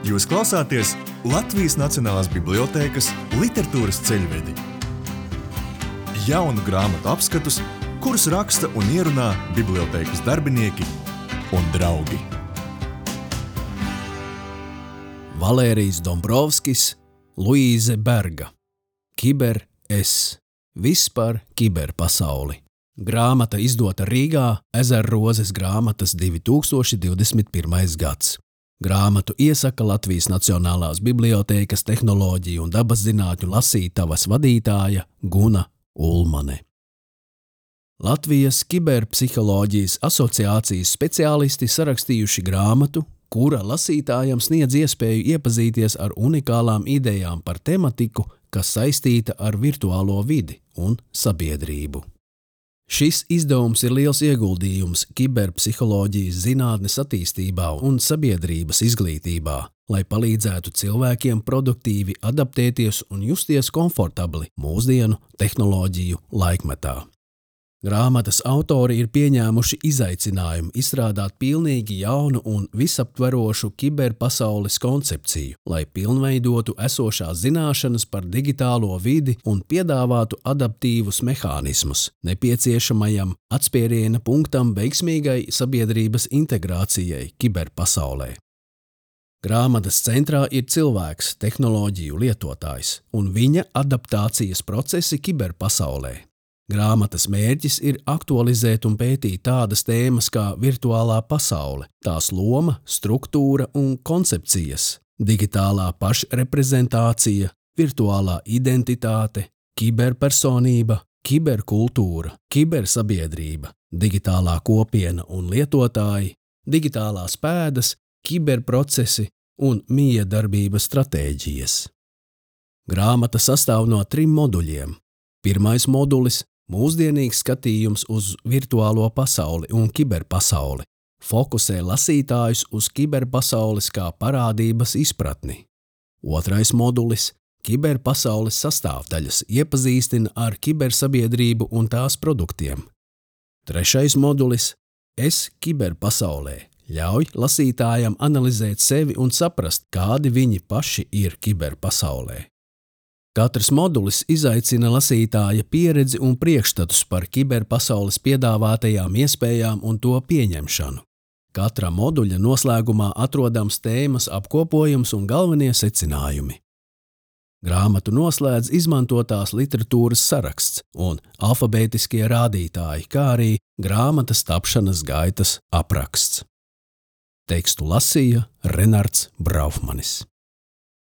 Jūs klausāties Latvijas Nacionālās bibliotēkas literatūras ceļvedi. Jaunu grāmatu apskatus, kurus raksta un ierunā bibliotēkas darbinieki un draugi. Valērijs Dombrovskis, Luīze Berga. Kiber-es. Viss par kiberpasauli. Grāmata izdota Rīgā, Ezerrozes grāmatas 2021. gads. Grāmatu iesaka Latvijas Nacionālās bibliotēkas tehnoloģiju un dabaszinātņu lasītavas vadītāja Guna Ulmane. Latvijas kiberpsiholoģijas asociācijas speciālisti sarakstījuši grāmatu, kura lasītājam sniedz iespēju iepazīties ar unikālām idejām par tematiku, kas saistīta ar virtuālo vidi un sabiedrību. Šis izdevums ir liels ieguldījums kiberpsiholoģijas zinātnes attīstībā un sabiedrības izglītībā, lai palīdzētu cilvēkiem produktīvi adaptēties un justies komfortabli mūsdienu tehnoloģiju laikmetā. Grāmatas autori ir pieņēmuši izaicinājumu izstrādāt pilnīgi jaunu un visaptverošu kiberpasaules koncepciju, lai pilnveidotu esošās zināšanas par digitālo vidi un piedāvātu adaptīvus mehānismus nepieciešamajam atspēriena punktam veiksmīgai sabiedrības integrācijai kiberpasaulē. Grāmatas centrā ir cilvēks, tehnoloģiju lietotājs un viņa adaptācijas procesi kiberpasaulē. Grāmatas mērķis ir aktualizēt un pētīt tādas tēmas kā virtuālā pasaule, tās loma, struktūra un koncepcijas, digitālā pašreprezentācija, virtuālā identitāte, kiberpersonība, kiberkultūra, kibersabiedrība, digitālā kopiena un lietotāji, digitālās pēdas, kiberprocesi un miedarbības stratēģijas. Grāmata sastāv no 3 moduļiem. Pirmais modulis – mūsdienīgs skatījums uz virtuālo pasauli un kiberpasauli, fokusē lasītājus uz kiberpasaules kā parādības izpratni. Otrais modulis – kiberpasaules sastāvdaļas iepazīstina ar kibersabiedrību un tās produktiem. Trešais modulis – es kiberpasaulē ļauj lasītājam analizēt sevi un saprast, kādi viņi paši ir kiberpasaulē. Katrs modulis izaicina lasītāja pieredzi un priekšstatus par kiberpasaules piedāvātajām iespējām un to pieņemšanu. Katra moduļa noslēgumā atrodams tēmas apkopojums un galvenie secinājumi. Grāmatu noslēdz izmantotās literatūras saraksts un alfabētiskie rādītāji, kā arī grāmatas tapšanas gaitas apraksts. Tekstu lasīja Renards Braufmanis.